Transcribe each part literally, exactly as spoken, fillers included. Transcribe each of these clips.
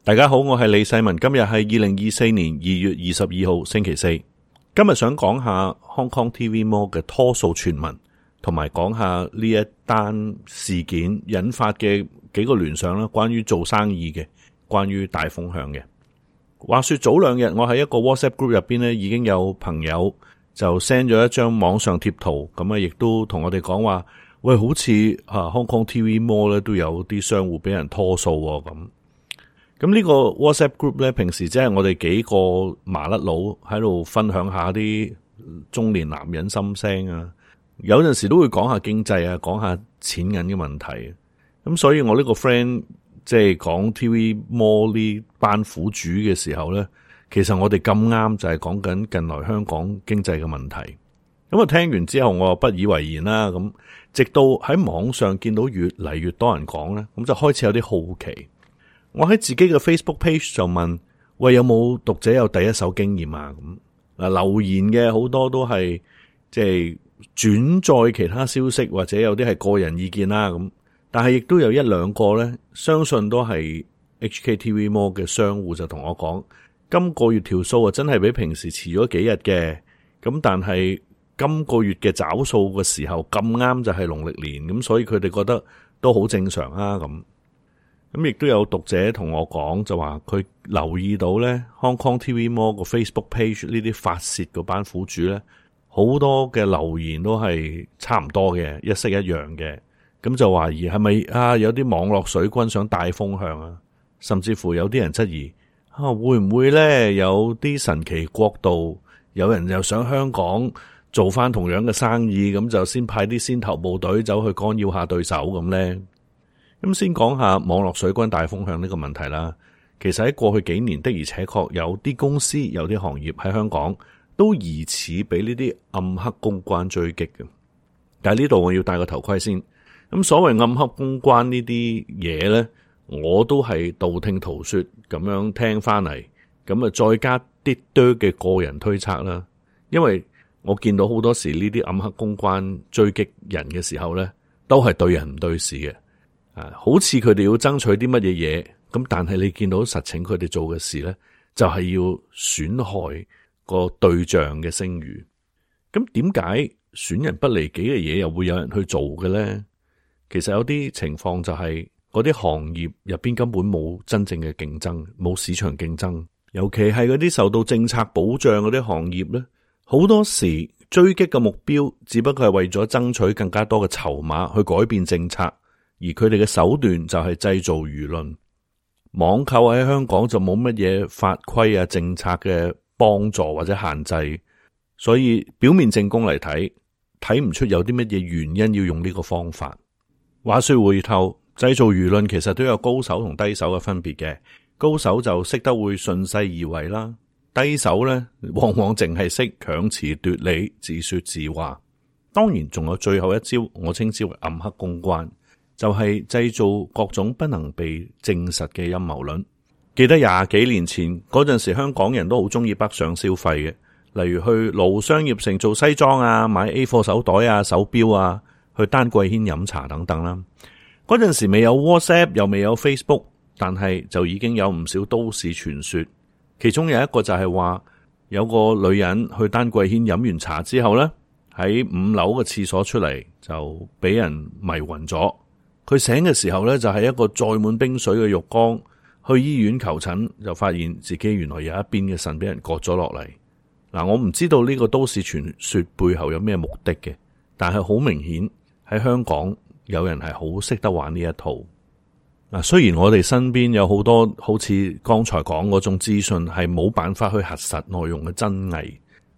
大家好，我係李世民。今日係二零二四年二月二十二號星期四。今日想講下 Hong Kong T V Mall 嘅拖數傳聞，同埋講下呢一單事件引發嘅幾個聯想啦，關於做生意嘅，關於大風向嘅。話說早兩日我喺一個 WhatsApp group 入邊咧，已經有朋友就 send 咗一張網上貼圖，咁啊亦都同我哋講話，喂，好似啊 Hong Kong T V Mall 咧都有啲商戶俾人拖數咁。咁呢個 WhatsApp group 咧，平時即係我哋幾個麻甩佬喺度分享下啲中年男人心聲啊，有陣時都會講下經濟啊，講下錢銀嘅問題。咁所以我呢個 friend 即係講 T V Mall 呢班苦主嘅時候咧，其實我哋咁啱就係講緊近來香港經濟嘅問題。咁啊聽完之後我又不以為然啦，咁直到喺網上見到越嚟越多人講咧，咁就開始有啲好奇。我喺自己嘅 Facebook page 就問，喂，有冇讀者有第一手經驗啊？咁嗱，留言嘅好多都係即係轉載其他消息，或者有啲係個人意見啦。咁但係亦都有一兩個咧，相信都係 H K T V Mall 嘅商戶就同我講，今個月條數啊真係比平時遲咗幾日嘅。咁但係今個月嘅找數嘅時候咁啱就係農曆年，咁所以佢哋覺得都好正常啊。咁咁亦都有讀者同我講，就話佢留意到咧 Hong Kong T V Mall 個 Facebook page 呢啲發洩嗰班苦主咧，好多嘅留言都係差唔多嘅，一式一樣嘅。咁就懷疑係咪啊有啲網絡水軍想帶風向啊？甚至乎有啲人質疑啊，會唔會咧有啲神奇國度有人又想香港做翻同樣嘅生意，咁就先派啲先頭部隊走去干擾下對手咁咧？咁先講下網絡水軍大風向呢個問題啦。其實喺過去幾年的而且確有啲公司有啲行業喺香港都疑似俾呢啲暗黑公關追擊嘅。但係呢度我要戴個頭盔先。咁所謂暗黑公關呢啲嘢呢，我都係道聽途說咁樣聽翻嚟，咁啊再加啲多嘅個人推測啦。因為我見到好多時呢啲暗黑公關追擊人嘅時候呢，都係對人唔對事嘅。啊，好似佢哋要爭取啲乜嘢嘢，咁但係你見到實情佢哋做嘅事咧，就係要損害個對象嘅聲譽。咁點解損人不利己嘅嘢又會有人去做嘅咧？其實有啲情況就係嗰啲行業入邊根本冇真正嘅競爭，冇市場競爭，尤其係嗰啲受到政策保障嗰啲行業咧，好多時追擊嘅目標只不過係為咗爭取更加多嘅籌碼去改變政策。而佢哋嘅手段就係製造輿論。網購喺香港就冇乜嘢法規啊、政策嘅幫助或者限制，所以表面證供嚟睇，睇唔出有啲乜嘢原因要用呢個方法。話說回頭，製造輿論其實都有高手同低手嘅分別嘅。高手就識得會順勢而為啦，低手呢往往淨係識強詞奪理、自說自話。當然仲有最後一招，我稱之為暗黑公關。就係製造各種不能被證實嘅陰謀論。記得廿幾年前嗰陣時，香港人都好中意北上消費嘅，例如去盧商業城做西裝啊，買 A 貨手袋啊、手錶啊，去丹桂軒飲茶等等啦。嗰陣時未有 WhatsApp，又未有 Facebook， 但係就已經有唔少都市傳說。其中有一個就係話，有個女人去丹桂軒飲完茶之後呢，喺五樓嘅廁所出嚟就俾人迷暈咗。佢醒嘅時候咧，就係一個載滿冰水嘅浴缸。去醫院求診，就發現自己原來有一邊嘅腎俾人割咗落嚟。嗱，我唔知道呢個都市傳說背後有咩目的嘅，但係好明顯喺香港有人係好識得玩呢一套。嗱，雖然我哋身邊有好多好似剛才講嗰種資訊係冇辦法去核實內容嘅真偽，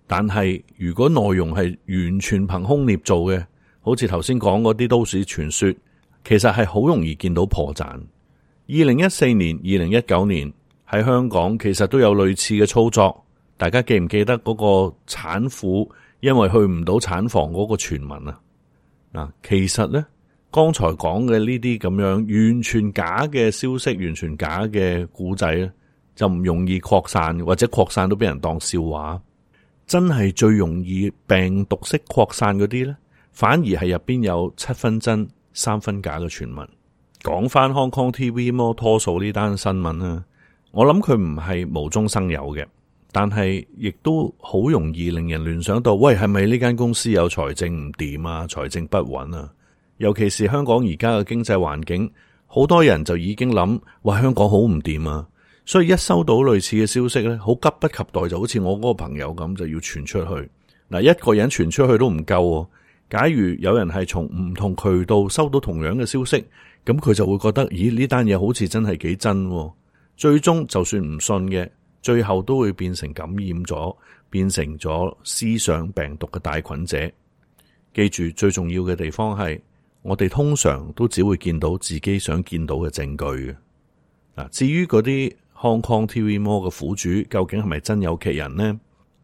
但係如果內容係完全憑空捏造嘅，好似頭先講嗰啲都市傳說，其實係好容易見到破綻。二零一四年、二零一九年喺香港其實都有類似嘅操作，大家記唔記得嗰個產婦因為去唔到產房嗰個傳聞啊？嗱，其實呢，剛才講嘅呢啲咁樣完全假嘅消息、完全假嘅故仔咧，就唔容易擴散，或者擴散都俾人當笑話。真係最容易病毒式擴散嗰啲呢，反而係入邊有七分真三分假嘅傳聞。講翻 Hong Kong T V Mall 拖數呢單新聞啦，我諗佢唔係無中生有嘅，但係亦都好容易令人聯想到，喂，係咪呢間公司有財政唔掂啊，財政不穩啊？尤其是香港而家嘅經濟環境，好多人就已經諗，哇，香港好唔掂啊！所以一收到類似嘅消息咧，好急不及待，就好似我嗰個朋友咁，就要傳出去。嗱，一個人傳出去都唔夠，假如有人係從唔同渠道收到同樣嘅消息，咁佢就會覺得，咦，呢單嘢好似真係幾真。最終就算唔信嘅，最後都會變成感染咗，變成咗思想病毒嘅帶菌者。記住，最重要嘅地方係，我哋通常都只會見到自己想見到嘅證據嘅。嗱，至於嗰啲 Hong Kong T V Mall 嘅苦主究竟係咪真有其人呢？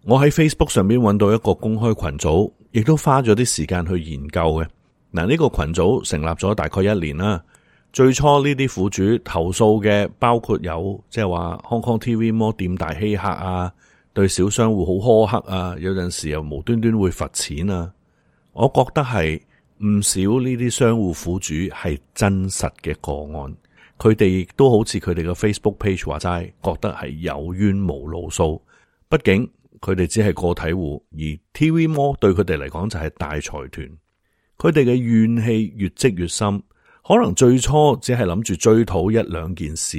我喺 Facebook 上邊揾到一個公開群組，亦都花咗啲時間去研究嘅。嗱，呢個群組成立咗大概一年啦。最初呢啲苦主投訴嘅包括有，即係話 Hong Kong T V Mall 店大欺客啊，對小商戶好苛刻啊，有陣時又無端端會罰錢啊。我覺得係唔少呢啲商戶苦主係真實嘅個案，佢哋亦都好似佢哋嘅 Facebook page 話齋，覺得係有冤無路訴。畢竟佢哋只係個體戶，而 T V Mall 對佢哋嚟講就係大財團，佢哋嘅怨氣越積越深，可能最初只係諗住追討一兩件事，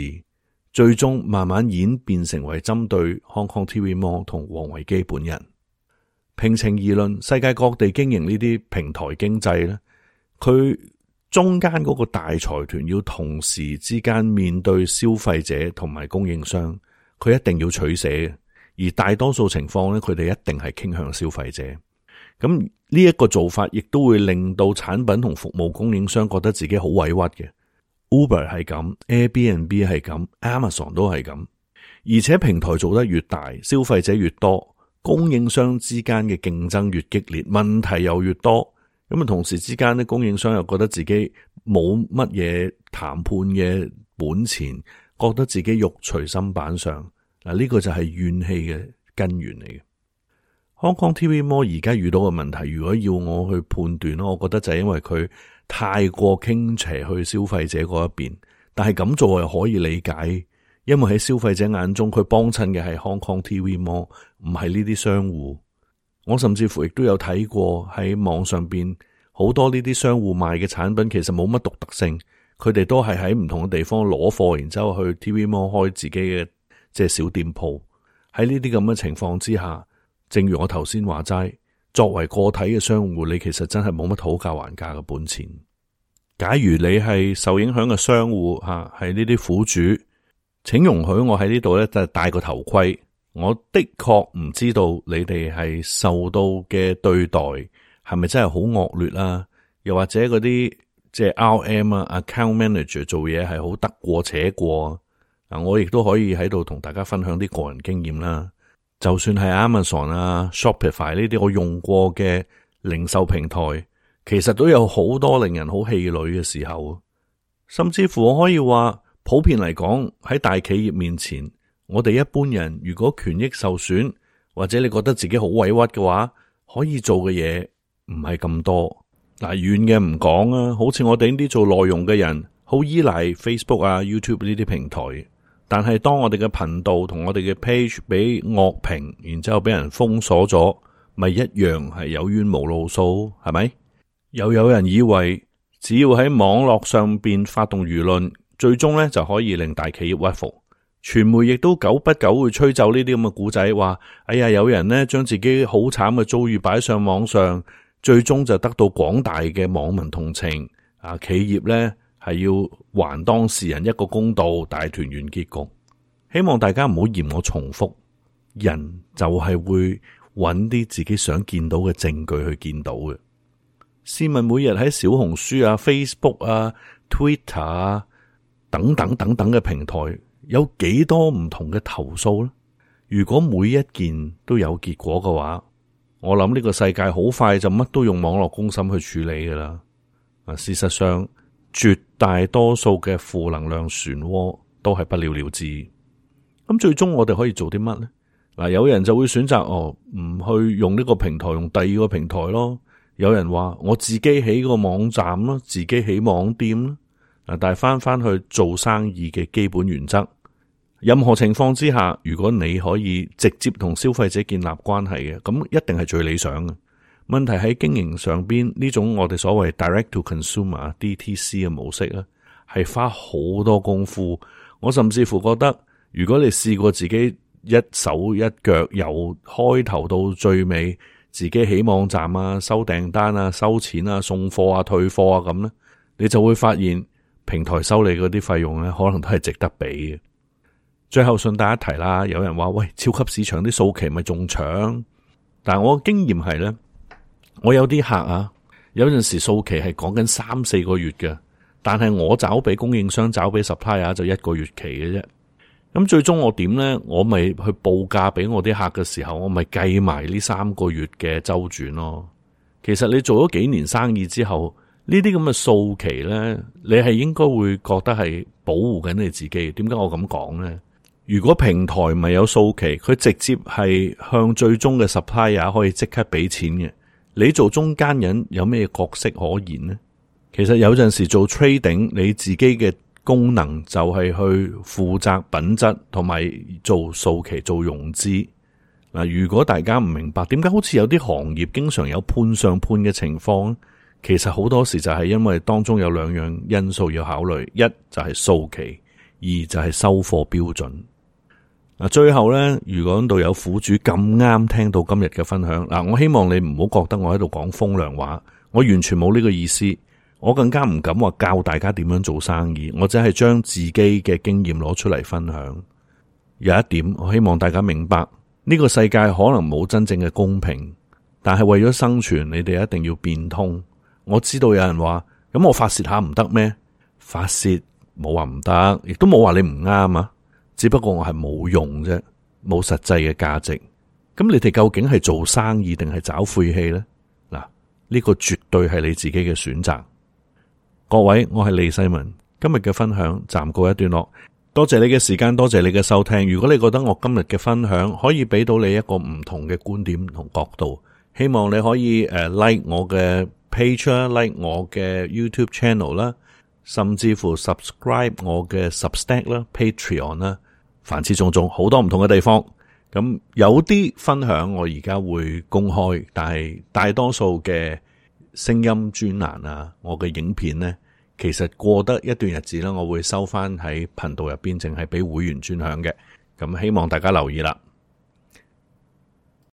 最終慢慢演變成為針對 Hong Kong T V Mall 同王維基本人。平情而論，世界各地經營呢啲平台經濟咧，佢中間嗰個大財團要同時之間面對消費者同埋供應商，佢一定要取捨嘅。而大多數情況咧，佢哋一定係傾向消費者。咁呢一個做法，亦都會令到產品同服務供應商覺得自己好委屈嘅。Uber 係咁 ，Airbnb 係咁 ，Amazon 都係咁。而且平台做得越大，消費者越多，供應商之間嘅競爭越激烈，問題又越多。咁啊，同時之間咧，供應商又覺得自己冇乜嘢談判嘅本錢，覺得自己肉隨砧板上。嗱，呢個就係怨氣嘅根源嚟嘅。Hong Kong T V Mall 而家遇到嘅問題，如果要我去判斷咯，我覺得就係因為佢太過傾斜去消費者嗰一邊，但係咁做係可以理解，因為喺消費者眼中，佢幫襯嘅係 Hong Kong T V Mall，唔係呢啲商戶。我甚至乎亦都有睇過喺網上邊好多呢啲商戶賣嘅產品，其實冇乜獨特性，佢哋都係喺唔同嘅地方攞貨，然之後去 T V Mall 開自己嘅即係小店鋪。喺呢啲咁嘅情況之下，正如我頭先話齋，作為個體嘅商戶，你其實真係冇乜討價還價嘅本錢。假如你係受影響嘅商戶吓，係呢啲苦主，請容許我喺呢度咧，就戴個頭盔。我的確唔知道你哋係受到嘅對待係咪真係好惡劣啦，又或者嗰啲即係 R M 啊 account manager 做嘢係好得過且過。嗱，我亦都可以喺度同大家分享啲個人經驗啦。就算係 Amazon 啊 Shopify 呢啲我用過嘅零售平台，其實都有好多令人好氣餒嘅時候。甚至乎我可以話，普遍嚟講，喺大企業面前，我哋一般人如果權益受損，或者你覺得自己好委屈嘅話，可以做嘅嘢唔係咁多。嗱，遠嘅唔講啊，好似我哋呢啲做內容嘅人，好依賴 Facebook 啊 YouTube 呢啲平台。但係當我哋嘅頻道同我哋嘅 page 俾惡評，然之後俾人封鎖咗，咪一樣係有冤無路訴，係咪？又有人以為只要喺網絡上邊發動輿論，最終咧就可以令大企業屈服。傳媒亦都久不久會吹奏呢啲咁嘅故仔，話哎呀，有人呢將自己好慘嘅遭遇擺上網上，最終就得到廣大嘅網民同情。啊，企業咧係要還當事人一個公道，大團圓結局。希望大家唔好嫌我重複，人就係會揾啲自己想見到嘅證據去見到嘅。試問每日喺小紅書啊、Facebook 啊、Twitter 啊等等等等嘅平台，有幾多唔同嘅投訴呢？如果每一件都有結果嘅話，我諗呢個世界好快就乜都用網絡公審去處理噶啦。啊，事實上絕大多數嘅負能量漩渦都係不了了之。咁最終我哋可以做啲乜呢？嗱，有人就會選擇哦，唔去用呢個平台，用第二個平台咯。有人話我自己起個網站咯，自己起網店咯。嗱，但係翻翻去做生意嘅基本原則，任何情況之下，如果你可以直接同消費者建立關係嘅，咁一定係最理想嘅。問題喺經營上邊，呢種我哋所謂 direct to consumer D T C 嘅模式咧，係花好多功夫。我甚至乎覺得，如果你試過自己一手一腳由開頭到最尾，自己起網站啊、收訂單啊、收錢啊、送貨啊、退貨啊咁咧，你就會發現平台收你嗰啲費用咧，可能都係值得俾嘅。最後順帶一提啦，有人話喂，超級市場啲數期咪仲搶？但係我嘅經驗係咧，我有啲客啊，有陣時數期係講緊三四個月嘅，但係我找俾供應商、找俾 supplier 就一個月期嘅啫。咁最終我點咧？我咪去報價俾我啲客嘅時候，我咪計埋呢三個月嘅周轉咯。其實你做咗幾年生意之後，呢啲咁嘅數期咧，你係應該會覺得係保護緊你自己。點解我咁講咧？如果平台唔係有數期，佢直接係向最終嘅 supplier 可以即刻俾錢嘅，你做中間人有咩角色可言呢？其實有陣時做 trading，你自己嘅功能就係去負責品質同埋做數期做融資。嗱，如果大家唔明白點解好似有啲行業經常有判上判嘅情況，其實好多時就係因為當中有兩樣因素要考慮，一就係數期，二就係收貨標準。嗱，最後咧，如果度有苦主咁啱聽到今日嘅分享，嗱，我希望你唔好覺得我喺度講風涼話，我完全冇呢個意思，我更加唔敢話教大家點樣做生意，我只係將自己嘅經驗攞出嚟分享。有一點，我希望大家明白，呢個世界可能冇真正嘅公平，但係為咗生存，你哋一定要變通。我知道有人話，咁我發洩下唔得咩？發洩冇話唔得，亦都冇話你唔啱啊。只不過我係冇用啫，冇實際嘅價值。咁你哋究竟係做生意定係找晦氣呢？嗱，呢個絕對係你自己嘅選擇。各位，我係李世民，今日嘅分享暫告一段落。多謝你嘅時間，多謝你嘅收聽。如果你覺得我今日嘅分享可以俾到你一個唔同嘅觀點同角度，希望你可以誒 like 我嘅 page 啦，like 我嘅 YouTube channel 啦，甚至乎 subscribe 我嘅 Substack 啦、Patreon 啦。凡此種種，好多唔同嘅地方，咁有啲分享我而家會公開，但係大多數嘅聲音專欄啊，我嘅影片呢，其實過得一段日子啦，我會收翻喺頻道入邊，淨係俾會員專享嘅，咁希望大家留意啦。